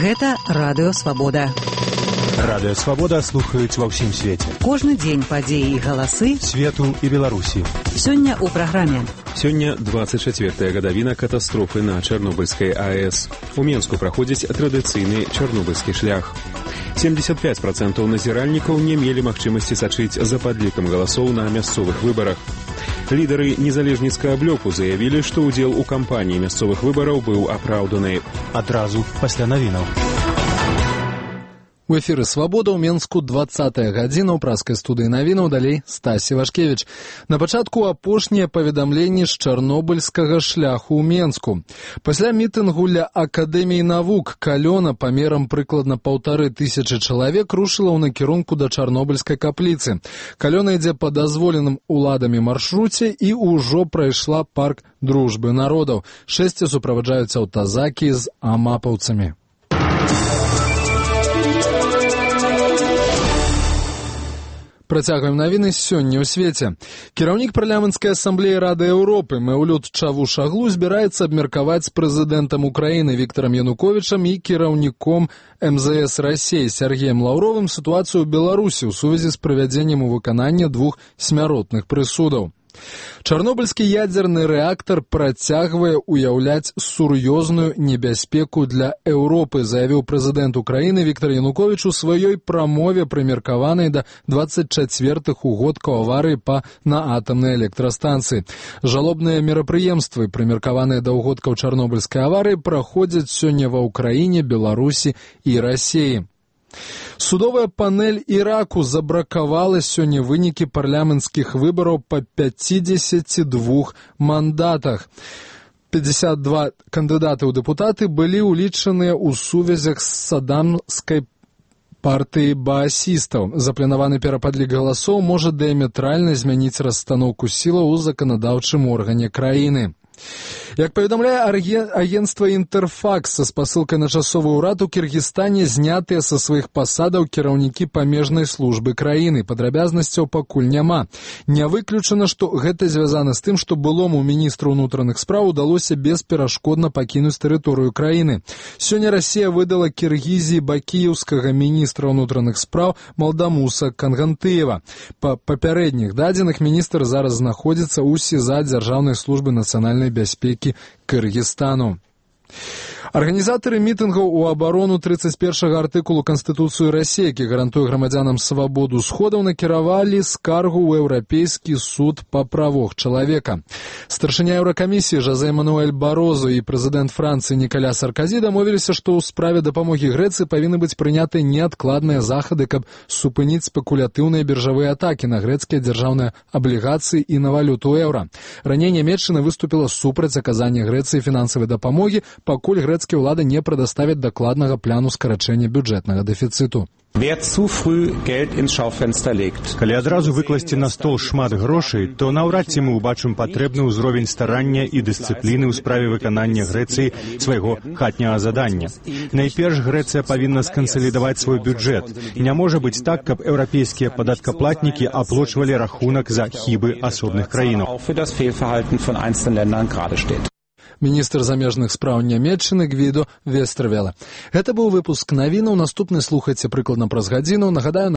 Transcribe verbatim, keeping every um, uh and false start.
Гэта Радыё Свабода. Радыё Свабода слухаюць ва ўсім свеце. Кожны дзень падзеі і галасы свету і Беларусі. Сёння ў праграме. Сёння двадцать чацвёртая гадавіна катастрофы на Чарнобыльскай АЭС. У Менску праходзіць традыцыйны чарнобыльскі шлях. семьдесят пять процентов назіральнікаў не мелі магчымасці сачыць за падлікам галасоў на мясцовых выбарах. Лідары незалежніцкага блоку заявілі, што ўдзел у кампаніі мясцовых выбараў быў апраўданы. Адразу пасля навінаў. У эфіры «Свабода» ў Менску двадцатая гадзіна ў праскай студыі навінаў, далей Стасі Вашкевіч. На пачатку апошнія паведамленні з чарнобыльскага шляху ў Менску. Пасля мітынгу ля Акадэміі навук калёна памерам прыкладна паўтары тысячы чалавек рушыла ў накірунку да чарнобыльскай капліцы. Калёна ідзе па дазволеным уладамі маршруце і ўжо прайшла парк дружбы народаў. Шэсце суправаджаюць аўтазакі з амапаўцамі. Працягваем навіны сёння ў свеце. Кіраўнік парламенцкай асамблеі Рады Еўропы Мэўлют Чавушаглу збіраецца абмеркаваць з прэзідэнтам Украіны Віктарам Януковічам і кіраўніком эм зэ эс Расіі Сергеем Лаўровым сітуацыю ў Беларусі ў сувязі з правядзеннем у выканання двух смяротных прысудаў. Чарнобыльскі ядзерны рэактар працягвае ўяўляць сур'ёзную небяспеку для Еўропы, заявіў прэзідэнт Украіны Віктар Януковіч у сваёй прамове, прымеркаванай да двадцать чацвёртых угодкаў аварыі па на атамнай электрастанцыі. Жалобныя мерапрыемствы, прымеркаваныя да угодкаў чарнобыльскай аварыі, праходзяць сёння ва Ўкраіне, Беларусі і Расіі. Судовая панель Іраку забракавала сёння вынікі парламенцкіх выбараў па пятидесяти двух мандатах. пятьдесят два кандыдаты ў дэпутаты былі ўлічаныя ў сувязях з садамскай партыі баасістаў. Запланаваны перападлік галасоў можа дыяметральна змяніць расстаноўку сілаў у заканадаўчым органе краіны. Як паведамляе агенцтва «Інтэрфакс» са спасылкай на часовы ўрад, у Кіргізстане знятыя са сваіх пасадаў кіраўнікі памежнай службы краіны. Падрабязнасцяў пакуль няма. Не выключана, што гэта звязана з тым, што былому міністру ўнутраных спраў удалося бесперашкодна пакінуць тэрыторыю краіны. Сёння Расія выдала Кіргізіі бакіеўскага міністра ўнутраных спраў Малдамуса Кангантыева. Па папярэдніх дадзеных міністр зараз знаходзіцца ў СІЗА Дзяржаўнай службы нацыянальнай бяспекі Кыргызстану. Арганізатары мітынгаў у абарону тридцать першага артыкулу Канстытуцыі Расіі, які гарантуе грамадзянам свабоду сходаў, накіравалі скаргу ў Еўрапейскі суд па правах чалавека. Старшыня Еўракамісіі Жозе Мануэль Барозо і прэзідэнт Францыі Ніколя Сарказі дамовіліся, што ў справе дапамогі Грэцыі павінны быць прыняты неадкладныя захады, каб супыніць спекулятыўныя біржавыя атакі на грэцкія дзяржаўныя аблігацыі і на валюту еўра. Раней Нямецчына выступіла супраць аказання Грэцыі фінансавай дапамогі, пакуль грэцкія ўлады не прадоставяць дакладнага плану скарачэння бюджэтнага дэфіцыту. Калі адразу выкласці на стол шмат грошай, то наўрад ці мы ўбачым патрэбны ўзровень старання і дысцыпліны ў справе выканання Грэцыі свайго хатняга задання. Найперш Грэцыя павінна скансалідаваць свой бюджэт. Не можа быць так, каб еўрапейскія падаткаплатнікі аплочвалі рахунак за хібы асобных краінаў. Міністр замежных спраў Нямецчыны Гвідо Вестервеле. Гэта быў выпуск навінаў. Наступны слухайце прыкладна праз гадзіну. Нагадаю,